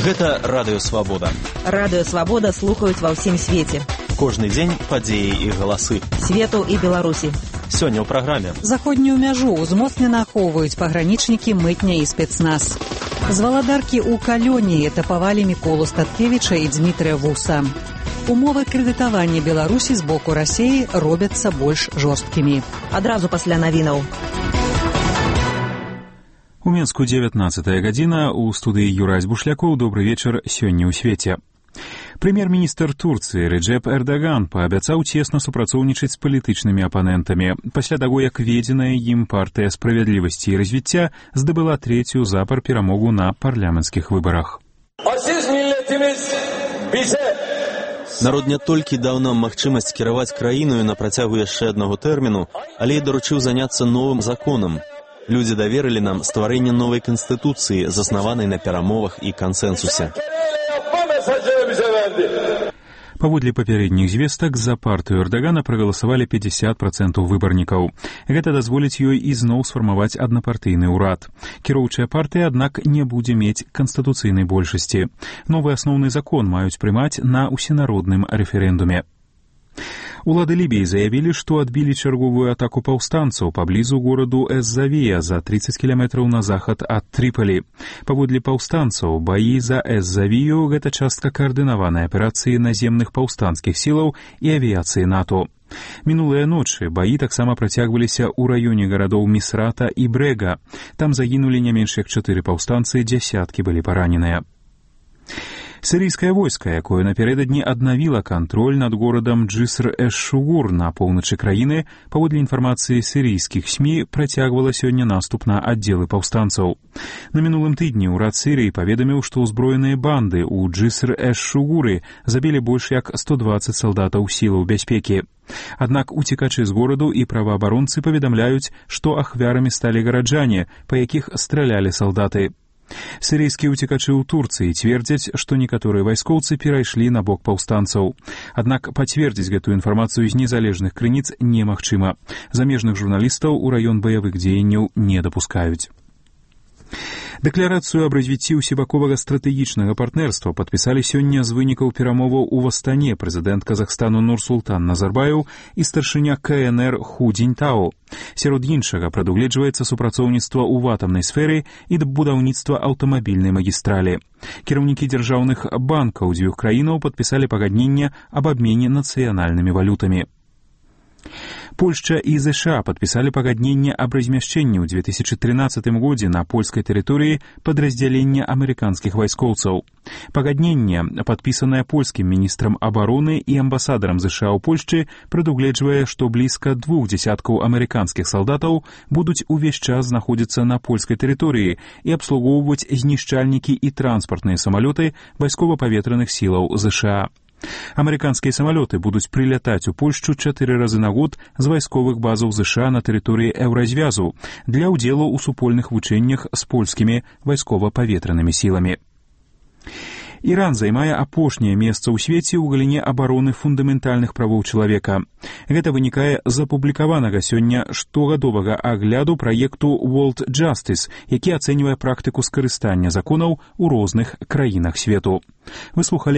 Гэта Радыё Свабода. Радыё Свабода слухаюць ва ўсім свеце. Кожны дзень падзеі і галасы. Свету і Беларусі. Сёння ў праграме. Заходнюю мяжу ўзмоцнена ахоўваюць пагранічнікі, мытня і спецназ. З валадаркі ў Калёні этапавалі Міколу Статкевіча і Дзмітрыя Вуса. Умовы крэдытавання Беларусі з боку Расіі робяцца больш жорсткімі. Адразу пасля навінаў. У Мінску 19-я гадзіна, у студыі Юрась Бушлякоў. Добры вечар, сёння ў свеце. Прэм'ер-міністр Турцыі Реджеп Эрдаган паабяцаў цесна супрацоўнічаць з палітычнымі апанентамі пасля таго, як ведзеная ім партыя справядлівасці і развіцця здабыла трэцюю запар перамогу на парламенцкіх выбарах. Народ не толькі даў нам магчымасць кіраваць краіною на працягу яшчэ аднаго тэрміну, але і даручыў заняцца новым законам. Людзі даверылі нам стварэнне новай канстытуцыі, заснаванай на перамовах і кансэнсусе. Паводле папярэдніх звестак, за партыю Эрдагана прагаласавалі 50% выбарнікаў. Гэта дазволіць ёй ізноў сфармаваць аднапартыйны ўрад. Кіроўчая партыя, аднак, не будзе мець канстытуцыйнай большасці. Новы асноўны закон маюць прымаць на ўсенародным рэферэндуме. Улады Лібіі заявілі, што адбілі чарговую атаку паўстанцаў паблізу гораду Эз-Завія за 30 кіламетраў на захад ад Трыпалі. Паводле паўстанцаў, баі за Эз-Завію – гэта частка каардынаванай аперацыі наземных паўстанцкіх сілаў і авіяцыі НАТО. Мінулыя ночы баі таксама працягваліся ў раёне гарадоў Місрата і Брэга. Там загінулі не менш як 4 паўстанцы, дзясяткі былі параненыя. Сірыйскае войска, якое напярэдадні аднавіла кантроль над горадам Джиср-эш-Шугур на поўначы краіны, паводле інфармацыі сірыйскіх СМІ, працягвала сёння наступ на аддзелы паўстанцаў. На мінулым тыдні ўрад Сірыі паведаміў, што ўзброеныя банды ў Джиср-эш-Шугуры забілі больш як 120 салдатаў сілаў бяспекі. Аднак уцекачы з гораду і праваабаронцы паведамляюць, што ахвярамі сталі гараджане, па якіх стралялі салдаты. Сірыйскія уцекачы ў Турцыі цвердзяць, што некаторыя вайскоўцы перайшлі на бок паўстанцаў. Аднак пацвердзіць гэтую інфармацыю з незалежных крыніц немагчыма. Замежных журналістаў у раён баявых дзеянняў не дапускаюць. Дэкларацыю аб развіцці ўсебаковага стратэгічнага партнерства падпісалі сёння з вынікаў перамоваў у Астане прэзідэнт Казахстану Нурсултан Назарбаеў і старшыня КНР Ху Цзіньтао. Сярод іншага прадугледжваецца супрацоўніцтва ў атамнай сферы і будаўніцтва аўтамабільнай магістралі. Кіраўнікі дзяржаўных банкаў дзвюх краінаў падпісалі пагадненне аб абмене нацыянальнымі валютамі. Польшча і ЗША падпісалі пагадненне аб размяшчэнні ў 2013 годзе на польскай тэрыторыі падраздзялення амерыканскіх вайскоўцаў. Пагадненне, падпісанае польскім міністрам абароны і амбасадарам ЗША ў Польшчы, прадугледжвае, што блізка 2 дзясяткаў амерыканскіх салдатаў будуць увесь час знаходзіцца на польскай тэрыторыі і абслугоўваць знішчальнікі і транспартныя самалёты вайскова-паветраных сілаў ЗША. Амерыканскія самалёты будуць прылятаць у Польшчу 4 разы на год з вайсковых базаў ЗША на тэрыторыі Еўразвязу для ўдзелу ў супольных вучэннях з польскімі вайскова-паветранымі сіламі. Іран займае апошняе месца ў свеце ў галіне абароны фундаментальных правоў чалавека. Гэта вынікае з апублікаванага сёння штогадовага агляду праекту World Justice, які ацэньвае практыку скарыстання законаў у розных краінах свету. Вы слухалі